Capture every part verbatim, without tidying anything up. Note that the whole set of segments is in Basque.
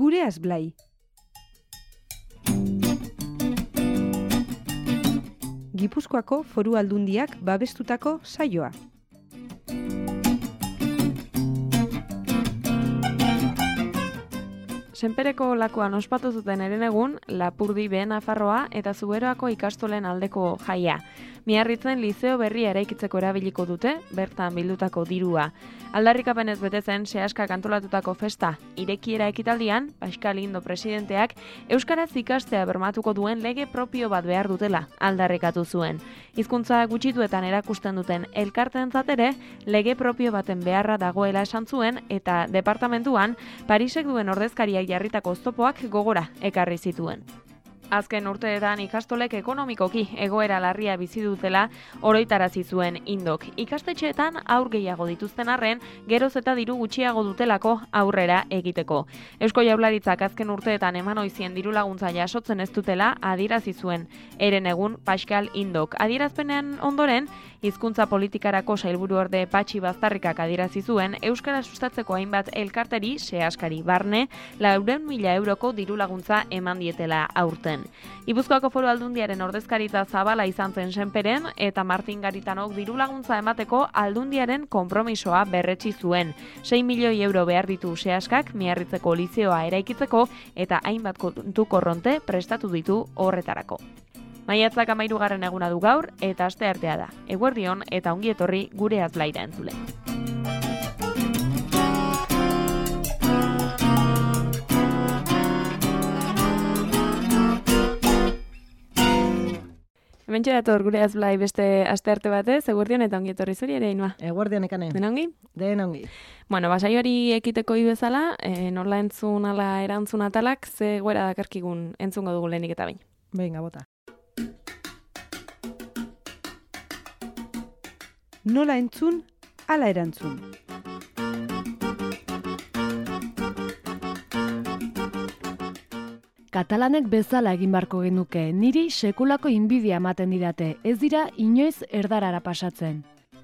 Gure Azblai. Gipuzkoako Foru Aldundiak babestutako saioa. Senpereko lakoan ospatu zuten herenegun, Lapurdi Behe Nafarroa eta Zuberoako ikastolen aldeko jaia. Miarritzen lizeo berria eraikitzeko erabiliko dute, bertan bildutako dirua. Aldarrikapenez bete zen sehaskak antolatutako festa irekiera ekitaldian, Pascal Indo presidenteak euskaraz ikastea bermatuko duen lege propio bat behar dutela aldarrikatu zuen. Hizkuntza gutxituetan erakusten duten elkarteentzat ere lege propio baten beharra dagoela esan zuen eta departamentuan Parisek duen ordezkariak jarritako oztopoak gogora ekarri zituen. Azken urteetan ikastolek ekonomikoki egoera larria bizi dutela oroitarazi zuen Indok. Ikastetxeetan aur gehiago dituzten arren, geroz eta diru gutxiago dutelako aurrera egiteko. Eusko Jaurlaritzak azken urteetan eman oizien diru laguntza jasotzen ez dutela adierazi zuen. Herenegun Pascal Indok. Adierazpenen ondoren, hizkuntza politikarako sailburuorde Patxi Baztarrikak adierazi zuen euskara sustatzeko hainbat elkarteri sehaskari barne laurehun mila euroko diru laguntza eman dietela aurten. Gipuzkoako Foru Aldundiaren ordezkaritza zabala izan zen Senperen eta Martin Garitanok diru laguntza emateko Aldundiaren konpromisoa berretsi zuen. sei milioi euro behar ditu sehaskak Miarritzeko lizeoa eraikitzeko eta hainbat kontu korronte prestatu ditu horretarako. Maiatzak hamahirugarren eguna du gaur eta asteartea da. Eguerdion eta ongi etorri Gure Azblaira entzule. Hementxe dator Gure Azblai beste astearte batez, eguerdion eta ongi etorri zuri ere, Inua. Eguerdion ekane. Den ongi? Den ongi. Bueno, basaioari ekiteko ibezala, e, nola entzun ala erantzun atalak, ze goera dakarkigun entzungo dugu lehenik eta bain. Venga, bota. Nola entzun, ala erantzun. Katalanek bezala egin barko genuke, niri sekulako inbidia ematen didate, ez dira inoiz erdarara pasatzen.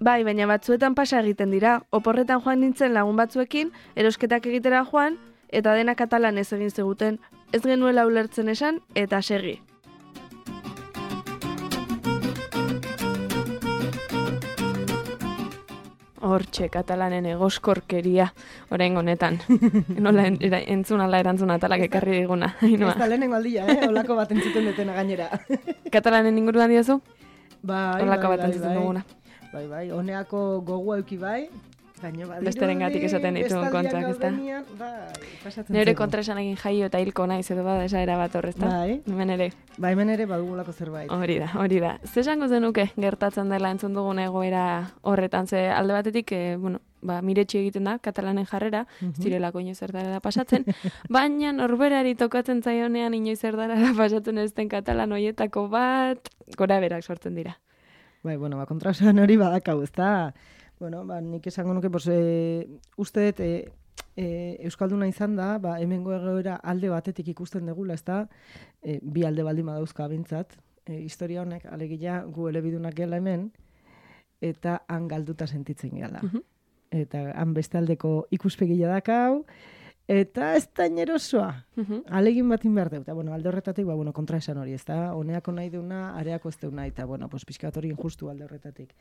Bai, baina batzuetan pasa egiten dira, oporretan joan nintzen lagun batzuekin, erosketak egitera joan, eta dena katalanez egin ziguten, ez genuela ulertzen esan, eta segi. Hortxe, katalanen egoskorkeria, orain honetan. Nola en, era, entzun ala erantzun atalak ekarri diguna. Ez da lehenengo aldia, eh? Olako bat entzuten detena gainera. Katalanen inguruan diozu? Bai, Olako bai, bat entzuten bai, duguna. Bai, bai, honeako gogu euki bai, baina badirudi, besterengatik esaten dituen kontuak, ezta? Bai, pasatzen Neure zaigu. kontraesan egin jaio eta hilko naiz edo bada esaera bat horrezta. Bai. Hemen ere. Bai, hemen ere badugulako zerbait. Hori da, hori da. Ze esango zenuke gertatzen dela entzun dugun egoera horretan, ze alde batetik, e, bueno, ba, miretsi egiten da, katalanen jarrera, Mhm. zirelako inoiz erdara pasatzen, baina norberari tokatzen zaionean inoiz erdara pasatzen ez den katalan hoietako bat, gora berak sortzen dira. Bai, bueno, ba, kontrasan hori badakau, ezta? Bueno, ba, nik esango nuke, pues, e, uste dut, e, e, Euskalduna izan da, ba, hemengo egoera alde batetik ikusten degula, ezta? E, bi alde baldin badauzka bintzat. E, historia honek, alegia, gu elebidunak gela hemen, eta han galduta sentitzen gela. Mhm. Eta han bestaldeko ikuspegia dakau, eta ez da inerosoa. Mhm. Alegin batin behar dut. Eta, bueno, alde horretatik, ba, bueno, kontra esan hori, ezta? Honeako nahi deuna, areako ez deuna, eta, bueno, pues, pixkat hori injustu alde horretatik.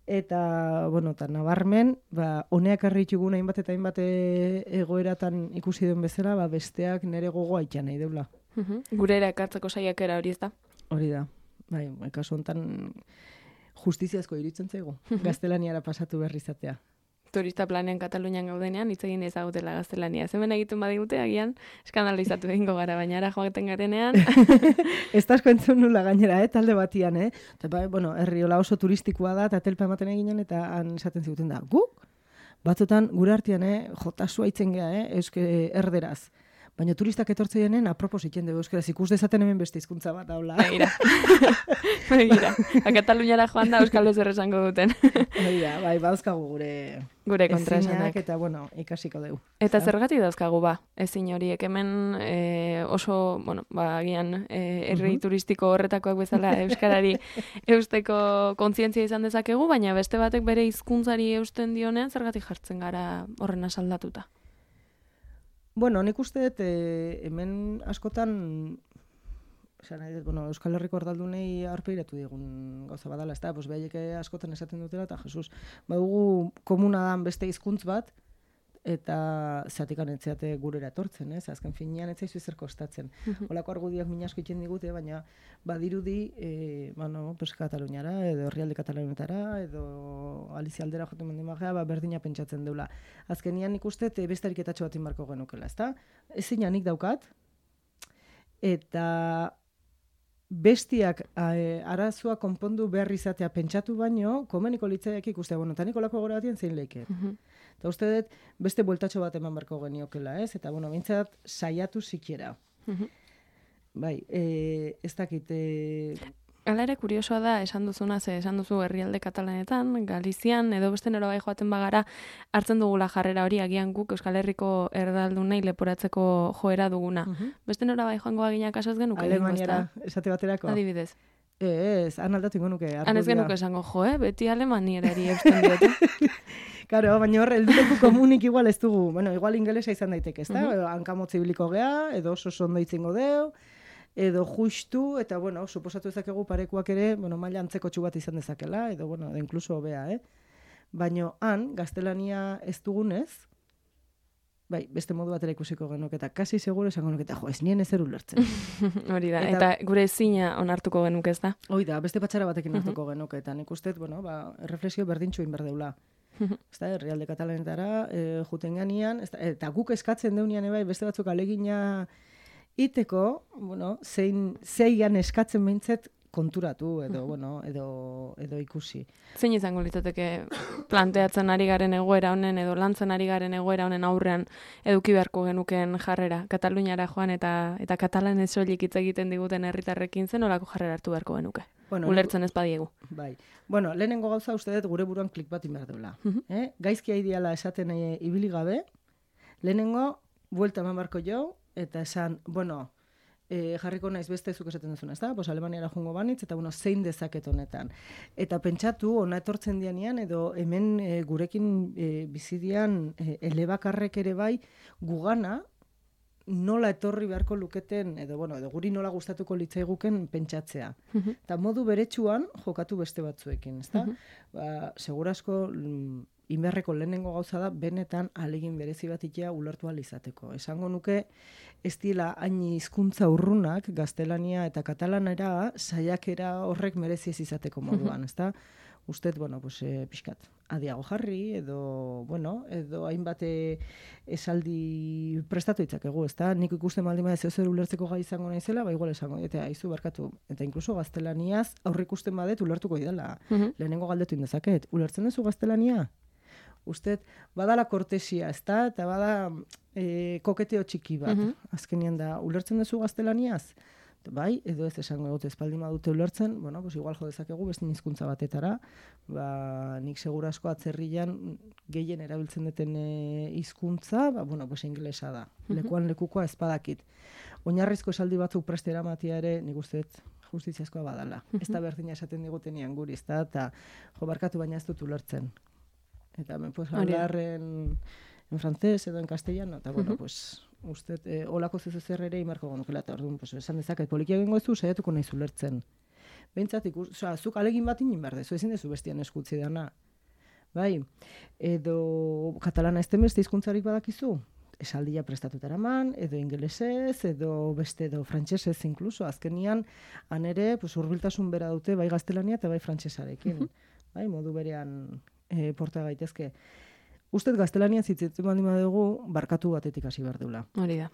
Eta, bueno, eta nabarmen, ba, honeak arritugun hainbat eta hainbat e- egoeratan ikusi duen bezala, ba, besteak nere gogoa itxan nahi deula. Mhm. Gure ere ekartzeko saiakera hori ez da. Hori da. Bai, kasu honetan justiziazko iruditzen zaigu. Gaztelaniara pasatu berri izatea. Turista planean Katalunian gaudenean, hitz egin ezagutela gaztelania. Hemen egiten badigute, agian, eskandalizatu egingo gara, baina ara joaten garenean. Ez da asko entzun nula gainera, eh, talde batian, eh? Eta, ba, bueno, herri hola oso turistikoa da, eta telpa ematen eginen, eta han esaten ziguten da, guk? Batzutan, gure artean, eh, jotasua itzen geha, eh, euske erderaz. Baina turistak etortzeienen apropos iten dugu euskaraz, ikus dezaten hemen beste hizkuntza bat daula. Begira. Begira. A Kataluniara joan da euskal zer esango duten. Hori da, bai, badauzkagu gure Gure kontraesanak. ezinak, eta, bueno, ikasiko dugu. Eta zergatik dauzkagu ba, ezin horiek hemen e, oso, bueno, ba, agian e, herri Mhm. turistiko horretakoak bezala euskarari eusteko kontzientzia izan dezakegu, baina beste batek bere hizkuntzari eusten dionean zergatik jartzen gara horren asaldatuta. Bueno, nik uste dut, e, hemen askotan, esan nahi dut, bueno, Euskal Herriko erdaldunei aurpegiratu digun gauza badala, ez da, pues behaiek askotan esaten dutela, eta Jesus, badugu komuna dan beste hizkuntz bat, eta zatikan etzeate gurera etortzen, ez? Azken finean etzaizu ezer kostatzen. Holako argudiak min asko egiten digute, baina badirudi, e, bueno, pues Kataluniara, edo herrialde Katalunietara, edo Alizia aldera joten mendimagea, ba, berdina pentsatzen deula. Azkenian ikuste, beste ariketatxo bat inbarko genukela, ezta? Ezin nik daukat, eta bestiak e, arazoa konpondu behar izatea pentsatu baino, komeniko litzaiak ikustea, bueno, eta nik olako gora batien zein leiket. Eta uste dut, beste bueltatxo bat eman barko geniokela, ez? Eta, bueno, bintzat, saiatu sikiera. Bai, e, ez dakit... E... Hala ere, kuriosoa da, esan duzuna, ze esan duzu herrialde katalanetan, Galizian, edo beste nora bai joaten bagara, hartzen dugula jarrera hori, agian guk Euskal Herriko erdaldunei leporatzeko joera duguna. Uh-huh. Beste nora bai joango aginak asaz genuke? Alemaniara, esate baterako. Adibidez. Ez, han aldatu ingo nuke. Han ez genuke esango, jo, eh? Beti alemaniarari eusten diote. Karo, baina hor, helduleku komunik igual ez dugu. Bueno, igual ingelesa izan daiteke, ez da? Uh-huh. Hankamotzi biliko gea, edo oso ondo itzingo deu, edo justu, eta, bueno, suposatu ezakegu parekuak ere, bueno, maila antzeko txu bat izan dezakela, edo, bueno, de inkluso hobea, eh? Baina han, gaztelania ez dugunez, bai, beste modu batera ikusiko genuk, eta kasi seguro esango genuk, eta jo, ez nien ezer ulertzen. Hori da, eta, eta gure ezina onartuko genuk ez da? Hori da, beste patxara batekin hartuko uh-huh. genuk, eta nik uste, bueno, ba, erreflexio berdintxu inberdeula. Ez da, herrialde katalanetara, e, juten ganean, eta guk eskatzen deunian ebai, beste batzuk alegina iteko, bueno, zein, zeian eskatzen behintzet konturatu, edo, bueno, edo, edo ikusi. Zein izango litzateke planteatzen ari garen egoera honen, edo lantzen ari garen egoera honen aurrean eduki beharko genuken jarrera, Kataluniara joan eta eta katalanez soilik hitz egiten diguten herritarrekin zen olako jarrera hartu beharko genuke. Bueno, ulertzen ez badiegu. Bai. Bueno, lehenengo gauza uste dut gure buruan klik bat inbar duela. Uh-huh. eh? Gaizkia ideala esaten e, ibili gabe, lehenengo buelta eman barko jo, eta esan, bueno, e, jarriko naiz beste zuk esaten duzuna, ez da? Pues Alemaniara joango banitz, eta bueno, zein dezaket honetan. Eta pentsatu, ona etortzen dianean, edo hemen e, gurekin e, bizidian e, elebakarrek ere bai, gugana, nola etorri beharko luketen, edo, bueno, edo guri nola gustatuko litzaiguken pentsatzea. Uh-huh. Eta modu beretsuan jokatu beste batzuekin, ezta? Uh-huh. Ba, segurasko mm, inberreko lehenengo gauza da, benetan alegin berezi bat itea ulertu ahal izateko. Esango nuke, ez dira hain hizkuntza urrunak, gaztelania eta katalanera, saiakera horrek merezi ez izateko moduan, uh-huh. ezta? Usted, bueno, pues, e, pixkat, adiago jarri, edo, bueno, edo hainbat esaldi prestatu itzakegu, ezta? Nik ikusten baldin bada zer ulertzeko gai izango naizela, ba igual esango, eta aizu barkatu, eta inkluso gaztelaniaz aurre ikusten badet ulertuko idala. Uh-huh. Lehenengo galdetu indezaket, ulertzen duzu gaztelania? Usted, badala kortesia, ezta? Eta bada e, koketeo txiki bat, uh-huh. azkenean da, ulertzen duzu gaztelaniaz? Bai, edo ez esango egote espaldin badute ulertzen, bueno, pues igual jo dezakegu beste hizkuntza batetara, ba, nik segura asko atzerrian gehien erabiltzen duten hizkuntza, ba, bueno, pues ingelesa da. Uh-huh. Lekuan lekukoa ez badakit. Oinarrizko esaldi batzuk preste eramatia ere, nik uste justiziazkoa badala. Uh-huh. Ez da berdina esaten digutenian guri, ez da, eta jo barkatu baina ez dut ulertzen. Eta me pues hablar en, en francés edo en castellano, eta bueno, uh-huh. pues... Usted, eh, olako zezu zer ere imarko gonukela, eta orduan, pues, esan dezaket, polikia egingo ez du, saiatuko nahi zulertzen. Behintzat, ikus, oza, zuk alegin bat inin behar dezu, ezin dezu bestian eskutzi dana. Bai, edo katalana ez beste hizkuntzarik badakizu, esaldia prestatutara man, edo ingelesez, edo beste, edo frantsesez inkluso, azkenian, han ere, pues, urbiltasun bera dute, bai gaztelania eta bai frantsesarekin. Uh-huh. Bai, modu berean e, porta gaitezke. Usted gaztelania zitzetzen baldin badugu barkatu batetik hasi behar deula. Hori da.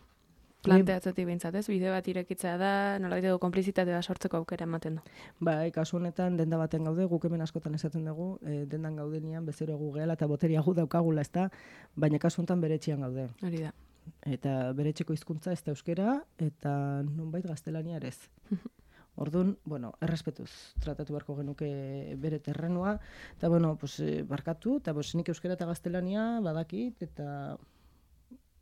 Planteatzetik behintzat, ez? Bide bat irekitzea da, nolabait edo konplizitatea sortzeko aukera ematen du. Bai, kasu honetan denda baten gaude, guk hemen askotan esaten dugu, e, dendan gaudenian bezero egu gehala eta boteria gu daukagula, ezta, baina kasu honetan beretxian gaude. Hori da. Eta beretxeko hizkuntza ez da euskera, eta nonbait gaztelania ere ez. Orduan, bueno, errespetuz tratatu beharko genuke bere terrenua, eta, bueno, pues, barkatu, eta pues, nik euskera eta gaztelania badakit, eta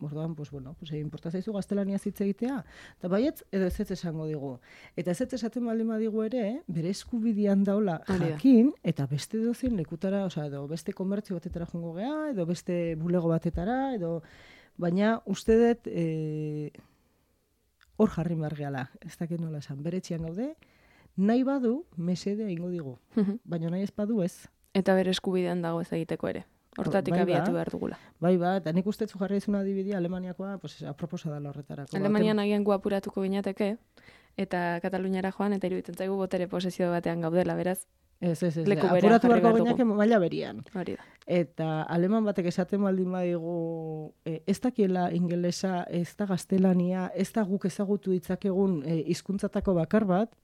orduan, pues, bueno, pues, importa zaizu gaztelania zitze egitea, eta baietz, edo ez ez esango digu. Eta ez ez esaten baldin badigu ere, bere eskubidean daula jakin, eta beste dozen lekutara, osea, edo beste komertzio batetara joango gea, edo beste bulego batetara, edo baina uste dut e, hor jarri margeala, ez dakit nola esan, bere etxean gaude, nahi badu, mesedea ingo digu, baina nahi ez badu ez. Eta bere eskubidean dago ez egiteko ere. Hortatik Bai, abiatu ba. behar dugula. Bai, ba, eta nik uste zu jarri izuna adibidea Alemaniakoa, pues, aproposa dela horretarako. Alemanian agian gu apuratuko ginateke, eta Kataluniara joan, eta iruditzen zaigu botere posesio batean gaudela, beraz, Ez, ez, ez, leku berean apuratu jarri beharko behar gineake dugu. maila berian. Hori da. Eta aleman batek esaten baldin badigu, e, ez dakiela ingelesa, ez da gaztelania, ez da guk ezagutu ditzakegun e, hizkuntzatako bakar bat,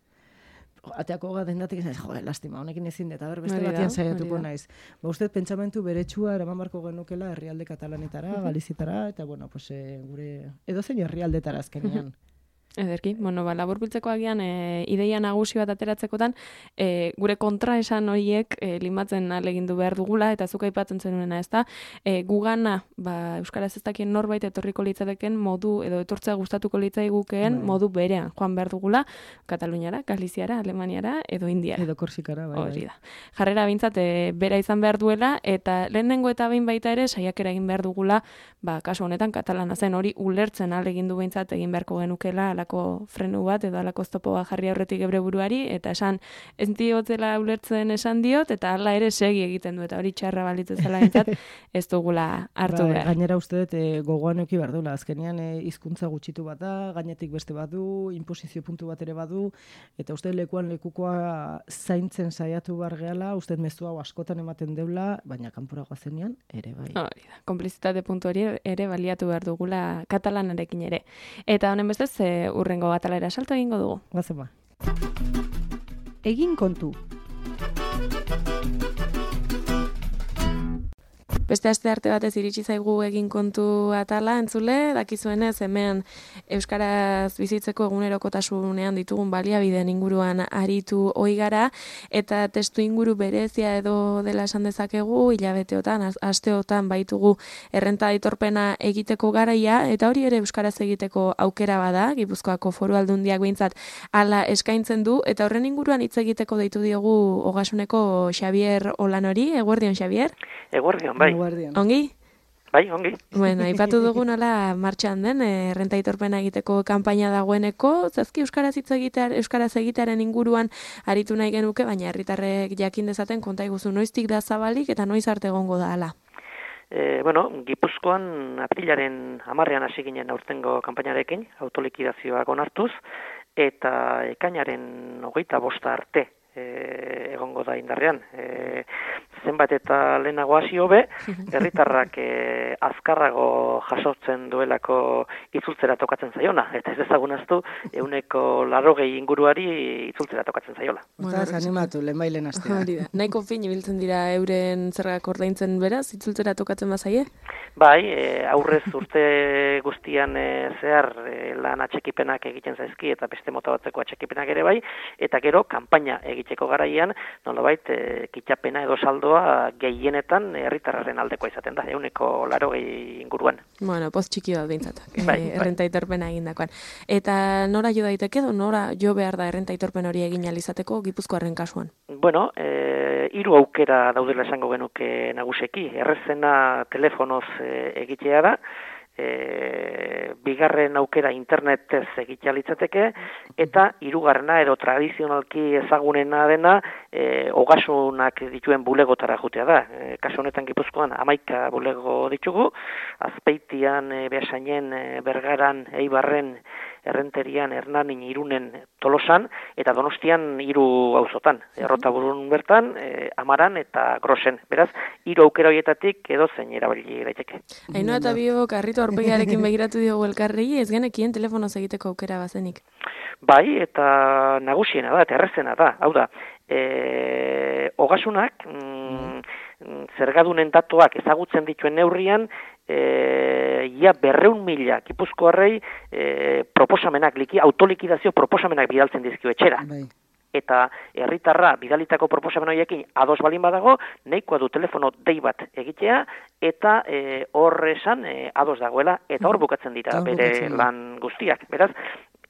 ateako ga dendatik ez, jode, lastima, honekin ezin dut, aber beste Hori da, batean saiatuko hori da. naiz. Ba, uste pentsamentu beretsua eraman barko genukela herrialde katalanetara, galizitara, eta bueno, pues, e, gure edozein herrialdetara azkenean. Ederki, bueno, ba, laburbiltzeko agian e, ideia nagusi bat ateratzekotan, e, gure kontraesan horiek e, limatzen alegindu behar dugula, eta zuk aipatzen zenuena, ez da, e, gugana, ba, euskaraz ez dakien norbait etorriko litzateken modu, edo etortzea gustatuko litzaigukeen Bai. modu berean, joan behar dugula, Kataluniara, Galiziara, Alemaniara, edo Indiara. Edo Korsikara, bai, Hori bai. da. Jarrera bintzat e, bera izan behar duela, eta lehenengo eta behin baita ere, saiakera egin behar dugula, ba, kasu honetan katalana zen hori ulertzen alegindu behintzat egin beharko genukela alako frenu bat, edo alako oztopo bat jarri aurretik gebre buruari, eta esan, ez diotzela ulertzen esan diot, eta hala ere segi egiten du, eta hori txarra balitzezela bintzat, ez dugula hartu Bai, behar. gainera uste dut e, gogoan euki behar duela. Azkenean e, hizkuntza gutxitu bat da, gainetik beste badu, inposizio puntu bat ere badu, eta uste lekuan lekukoa zaintzen saiatu behar gehala, uste mezu hau askotan ematen deula, baina kanpora goazenean ere bai. Hori da, konplizitate puntu hori ere baliatu behar dugula katalanarekin ere. Eta honen bestez, e, urrengo atalera salto egingo dugu. Goazen ba. Egin kontu. Beste aste arte batez iritsi zaigu egin kontu atala, entzule, dakizuenez hemen euskaraz bizitzeko egunerokotasunean ditugun baliabideen inguruan aritu ohi gara, eta testu inguru berezia edo dela esan dezakegu, hilabeteotan, az- asteotan baitugu errenta aitorpena egiteko garaia, eta hori ere euskaraz egiteko aukera bada, Gipuzkoako Foru Aldundiak behintzat hala eskaintzen du, eta horren inguruan hitz egiteko deitu diogu Ogasuneko Xabier Olanori, eguerdion Xabier? Eguerdion, bai. Guardian. Ongi? Bai, ongi. Bueno, aipatu dugu nola martxan den, eh, errenta aitorpena egiteko kanpaina dagoeneko, zazki euskaraz hitz egitear, euskaraz egitearen inguruan aritu nahi genuke, baina herritarrek jakin dezaten konta iguzu noiztik da zabalik eta noiz arte egongo da hala. E, bueno, Gipuzkoan aprilaren hamarrean hasi ginen aurtengo kanpainarekin, autolikidazioak onartuz, eta ekainaren hogeita bosta arte e, egongo da indarrean. E, zenbat eta lehenago hasi hobe, herritarrak e, azkarrago jasotzen duelako itzultzera tokatzen zaiona, eta ez dezagunaztu ehuneko larrogei inguruari itzultzera tokatzen zaiola. Ostaz, animatu, lehenbailen astea. Hori da. Nahiko fin ibiltzen dira euren zergak ordaintzen beraz, itzultzera tokatzen bazaie? Bai, e, aurrez urte guztian e, zehar e, lan atxekipenak egiten zaizki eta beste mota batzeko atxekipenak ere bai, eta gero kanpaina egiteko garaian, nolabait e, kitxapena edo saldoa gehienetan herritarraren aldekoa izaten da, ehuneko larogei inguruan. Bueno, poz txiki bat behintzat, Bai, bai. eh, errenta aitorpena egindakoan. Eta nora jo daiteke edo nora jo behar da errenta aitorpen hori egin ahal izateko Gipuzkoarren kasuan? Bueno, e, hiru aukera daudela esango genuke naguseki. Errezena telefonoz e, egitea da, e, bigarren aukera internetez egitea litzateke, eta hirugarrena edo tradizionalki ezagunena dena e, ogasunak dituen bulegotara jutea da. E, kasu honetan Gipuzkoan hamaika bulego ditugu, Azpeitian, e, Beasainen, e, Bergaran, Eibarren, Errenterian, Hernanin, Irunen, Tolosan, eta Donostian hiru auzotan. Errotaburun bertan, e, Amaran eta Grosen. Beraz, hiru aukera horietatik edozein erabili daiteke. Ainhoa eta biok harritu aurpegiarekin begiratu diogu elkarri, ez genekien telefonoz egiteko aukera bazenik. Bai, eta nagusiena da, eta errezena da. Hau da, e, ogasunak, mm, zergadunen datuak ezagutzen dituen neurrian, e, ia berreun mila Gipuzkoarrei e, proposamenak, liki, autolikidazio proposamenak bidaltzen dizkio etxera. Bai. Eta herritarra bidalitako proposamen horiekin ados balin badago, nahikoa du telefono dei bat egitea, eta e, hor esan e, ados dagoela, eta hor bukatzen dira Hor bere bukatzen da. lan guztiak. Beraz,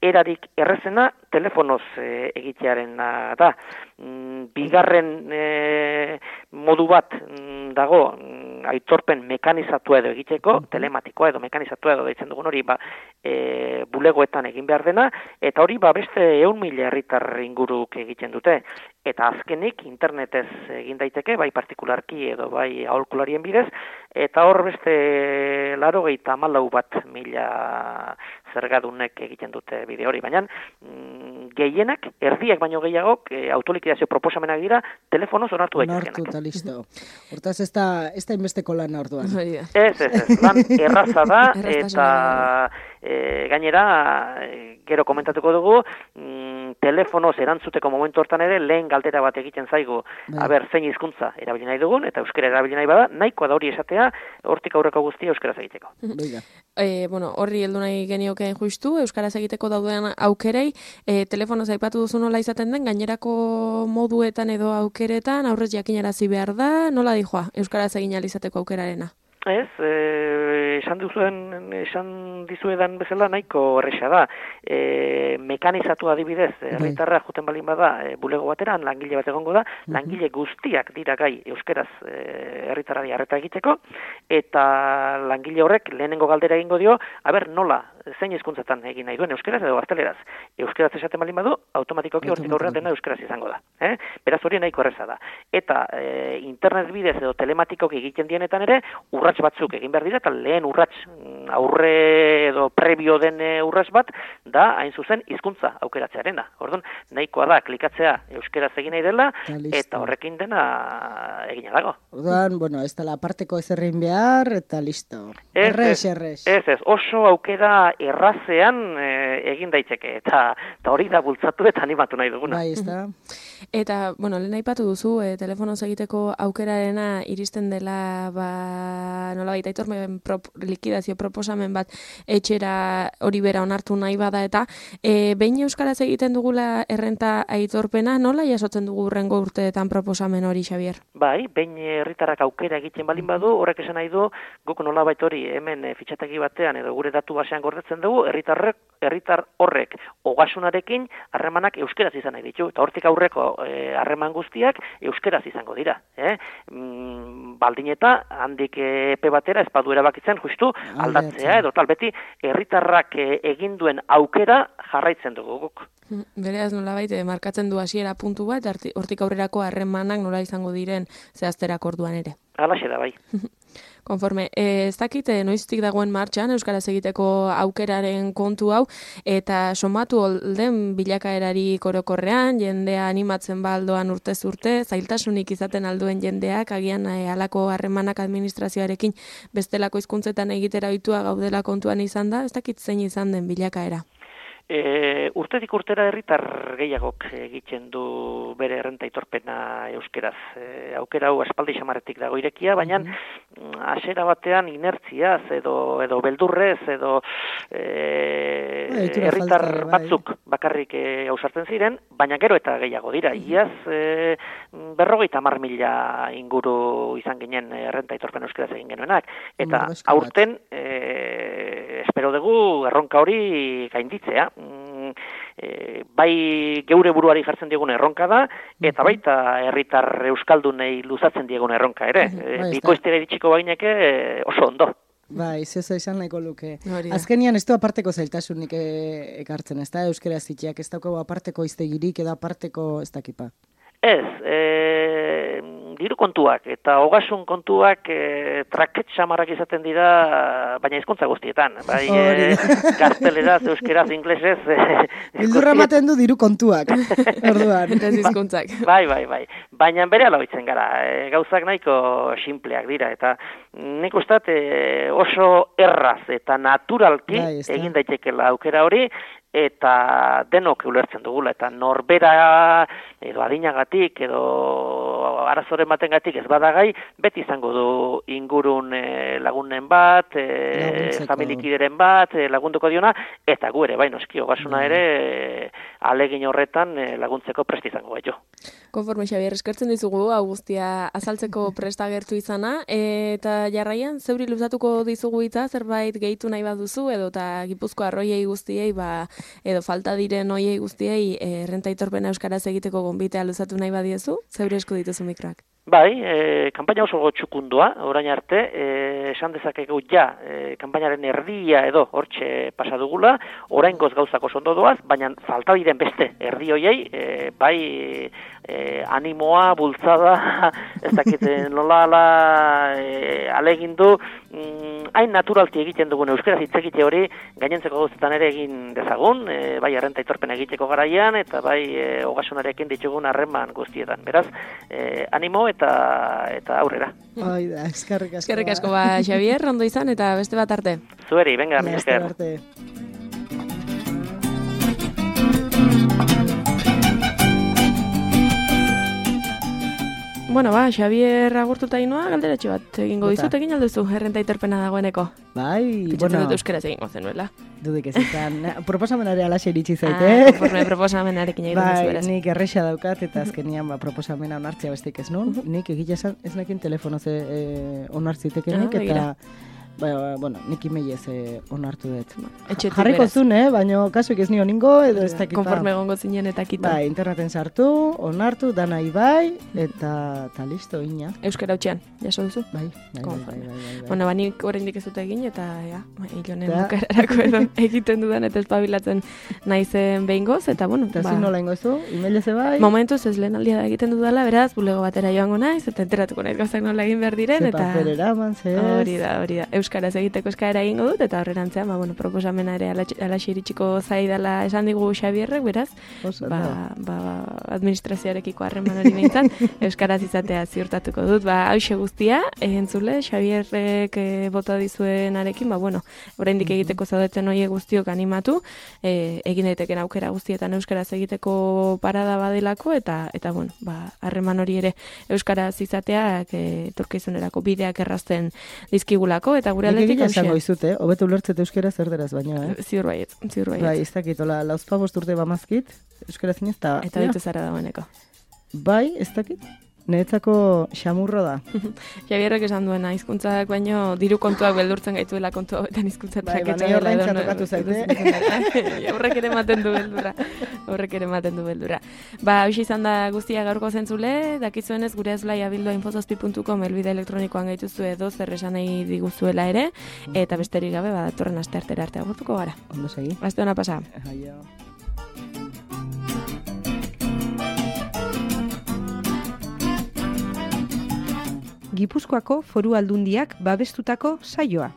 erarik errezena telefonoz e, egitearen da. Mm, bigarren e, modu bat mm, dago mm, aitorpen mekanizatua edo egiteko, telematikoa edo mekanizatua edo deitzen dugun hori ba, e, bulegoetan egin behar dena, eta hori ba, beste ehun mila herritar inguruk egiten dute. Eta azkenik internetez egin daiteke, bai partikularki edo bai aholkularien bidez, eta hor beste laurogeita hamalau bat mila zergadunek egiten dute bide hori, baina mm, gehienak, erdiak baino gehiagok, e, autolikidazio proposamenak dira, telefonoz onartu daitezkenak. Onartu eta listo. Hortaz ez da, ez da inbesteko lan orduan. Ez, ez, ez, lan erraza da, eta e, gainera, gero komentatuko dugu, mm, telefonoz erantzuteko momentu hortan ere, lehen galdera bat egiten zaigu, bai. Aber, zein hizkuntza erabili nahi dugun, eta euskera erabili nahi bada, nahikoa da hori esatea, hortik aurreko guztia euskaraz egiteko. E, bueno, horri heldu nahi genioke justu, euskaraz egiteko dauden aukerei, e, telefonoz aipatu duzu nola izaten den, gainerako moduetan edo aukeretan, aurrez jakinarazi behar da, nola dijoa, euskaraz egin alizateko aukerarena? Ez, e, esan duzuen, esan dizuedan bezala nahiko erresa da. E, mekanizatu adibidez, herritarra juten balin bada, e, bulego bateran, langile bat egongo da, langile guztiak dira gai euskeraz e, herritarrari harreta egiteko, eta langile horrek lehenengo galdera egingo dio, aber nola, zein hizkuntzatan egin nahi duen euskeraz edo gazteleraz. Euskeraz esaten balin badu, automatikoki hortik aurrean dena euskeraz izango da. Eh? Beraz hori nahiko erreza da. Eta e, internet bidez edo telematikoki egiten dienetan ere, urrats batzuk egin behar dira, eta lehen urrats aurre edo prebio den urrats bat, da hain zuzen hizkuntza aukeratzearena. Orduan, nahikoa da, klikatzea euskeraz egin nahi dela, eta horrekin dena egina dago. Orduan, bueno, ez dela aparteko ezerrein behar, eta listo. Errez, errez. Ez, ez, oso aukera errazean e, egin daiteke, eta, eta hori da bultzatu eta animatu nahi duguna. Bai, ez da. Eta, bueno, lehen aipatu duzu, e, telefonoz egiteko aukerarena iristen dela, ba, nola baita aitormen prop, likidazio proposamen bat etxera hori bera onartu nahi bada, eta e, behin euskaraz egiten dugula errenta aitorpena, nola jasotzen dugu urrengo urteetan proposamen hori, Xabier? Bai, behin herritarrak aukera egiten balin badu, horrek esan nahi du, guk nola baita hori hemen e, fitxategi batean edo gure datu basean gordetzen dugu, herritarrek, herritar horrek ogasunarekin harremanak euskeraz izan nahi ditu, eta hortik aurreko harreman e, guztiak euskeraz izango dira. Eh? Mm, baldin eta handik epe batera ez badu erabakitzen justu aldatzea edo tal beti herritarrak egin duen aukera jarraitzen dugu guk. Bereaz nolabait markatzen du hasiera puntu bat, hortik aurrerako harremanak nola izango diren zehazterako orduan ere. Halaxe da bai. Konforme, ez dakit noiztik dagoen martxan euskaraz egiteko aukeraren kontu hau, eta somatu den bilakaerari korokorrean, jendea animatzen baldoan urtez urte, zailtasunik izaten alduen jendeak, agian e, alako harremanak administrazioarekin bestelako hizkuntzetan egitera ohitua gaudela kontuan izan da, ez dakit zein izan den bilakaera. E, urtetik urtera herritar gehiagok egiten du bere errenta aitorpena euskeraz. E, aukera hau aspaldi xamaretik dago irekia, baina hasiera batean inertziaz edo edo beldurrez edo e, herritar batzuk bakarrik e, ausartzen ziren, baina gero eta gehiago dira. Iaz e, berrogeita hamar mila inguru izan ginen errenta aitorpena euskeraz egin genuenak. Eta aurten e, espero dugu erronka hori gainditzea. E, bai geure buruari jartzen diegun erronka da, eta baita herritar euskaldunei luzatzen diegun erronka ere. E, Bikoiztera iritsiko baineke e, oso ondo. Bai, zezo izan nahiko luke. Azkenian ez du aparteko zailtasunik e, ekartzen, ez da euskera zitxeak, ez dago aparteko iztegirik edo aparteko ez dakipa. Ez, e, diru kontuak eta ogasun kontuak e, traket samarrak izaten dira, baina hizkuntza guztietan. Bai, e, gazteleraz, euskeraz, inglesez. E, Bildurra ematen du diru kontuak, orduan. Eta hizkuntzak. Bai, bai, bai. Baina bere aloitzen gara, e, gauzak nahiko simpleak dira, eta nik ustat e, oso erraz eta naturalki bai, egin daitekela aukera hori, eta denok ulertzen dugula, eta norbera edo adinagatik edo arazoren batengatik ez badagai, beti izango du ingurun e, lagunen bat, e, familikideren bat, e, lagunduko diona, eta gu ere, bai noski, ogasuna ere e, alegin horretan e, laguntzeko prest izango gaitu. Konforme, Xabier, eskertzen dizugu, hau guztia azaltzeko presta gertu izana, eta jarraian, zeuri luzatuko dizugu hitza, zerbait gehitu nahi baduzu, edo eta Gipuzko arroiei guztiei, ba, edo falta diren oiei guztiei, e, errenta aitorpena euskaraz egiteko gonbitea luzatu nahi badiezu, zeuri esku dituzu mikroak. Bai, e, kanpaina oso txukundua, orain arte, e, esan dezakegu ja, e, kanpainaren erdia edo hortxe pasadugula, orain goz gauzak oso ondo doaz, baina falta diren beste erdi hoiei, e, bai e, animoa, bultzada, ez dakit nola ala e, alegindu, mm, hain naturalti egiten dugun euskaraz hitz egite hori, gainentzeko gauzetan ere egin dezagun, e, bai errenta aitorpena egiteko garaian, eta bai e, ogasunarekin ditugun harreman guztietan. Beraz, e, animo eta eta aurrera. Ai da, eskerrik asko. Eskerrik asko, ba, Xabier, ondo izan, eta beste bat arte. Zueri, venga, mi Beste esker. arte. Bueno, ba, Xabier agurtuta inoa, galderatxo bat egingo Bota. dizut, egin alduzu, errenta aitorpena dagoeneko. Bai, Pentsatzen bueno, dut euskaraz egingo zenuela. dudik ez izan. Proposamenare alaxe iritsi Ah, zaite. konforme proposamenarekin egiten duzu, Bai, beraz. nik erresa daukat eta azkenian ba, proposamena onartzea bestik ez nun. Nik egia esan ez nekin telefonoz e, onartzitekenik Ah, begira. eta ba, bueno, nik imeiez e, onartu dut. Etxetik, Jarriko beraz. zuen, eh? Baina kasuik ez nio ningo edo ez dakit. Konforme egongo zinen eta kito. Bai, interneten sartu, onartu, danai bai, eta, eta listo, ina. Euskara hutxean, jaso duzu? Bai, bai, bai, bai, Konforme. bai, bai, bai. Bueno, ba, nik oraindik ez dut egin, eta, ja, ba, hilonen Da. bukararako edo egiten dudan eta espabilatzen naizen behingoz, eta, bueno, Eta ba, zin nola ingo zu, emailez bai, momentuz ez lehen aldia da egiten dudala, beraz, bulego batera joango naiz, eta enteratuko naiz gauzak nola egin behar diren, ze eta... paper eraman, ze ez. Hori da, hori da. Euskaraz egiteko eskaera egingo dut, eta horrerantzean, ba, bueno, proposamena ere alaxe iritsiko zaidala esan digu Xabierrek, beraz, Oso, ba, da. ba, administrazioarekiko harreman hori behintzat, euskaraz izatea ziurtatuko dut. Ba, hauxe guztia, entzule, Xabierrek e, bota dizuenarekin, ba, bueno, oraindik egiteko zaudeten hoiek guztiok animatu, e, egin daiteken aukera guztietan euskaraz egiteko parada badelako, eta, eta bueno, ba, harreman hori ere euskaraz izateak e, etorkizunerako bideak errazten dizkigulako, eta gure Nik aldetik egia esango hauxe. izut, eh? Hobeto ulertzet euskera zer deraz baina, eh? Ziur baietz, ziur baietz. Bai, ez dakit, hola, lauzpabost urte bamazkit, euskara zinez, eta... Eta ditu zara dagoeneko. Bai, ez dakit, niretzako xamurro da. Xabierrek esan duena, hizkuntzak baino diru kontuak beldurtzen gaituela kontu hauetan hizkuntza Bai, traketsa baina dela ordaintzea edo no- tokatu zaite. edo- Horrek ere ematen du beldurra. Horrek ere ematen du beldurra. Ba, hauxe izan da guztia gaurko zentzule, dakizuenez gure ezblai abildua infozazpi puntu com elbide elektronikoan gaituzu edo zer esan nahi diguzuela ere, eta besterik gabe, ba, datorren aste artera arte agurtuko gara. Ondo segi. Aste ona pasa. Aio. Gipuzkoako Foru Aldundiak babestutako saioa.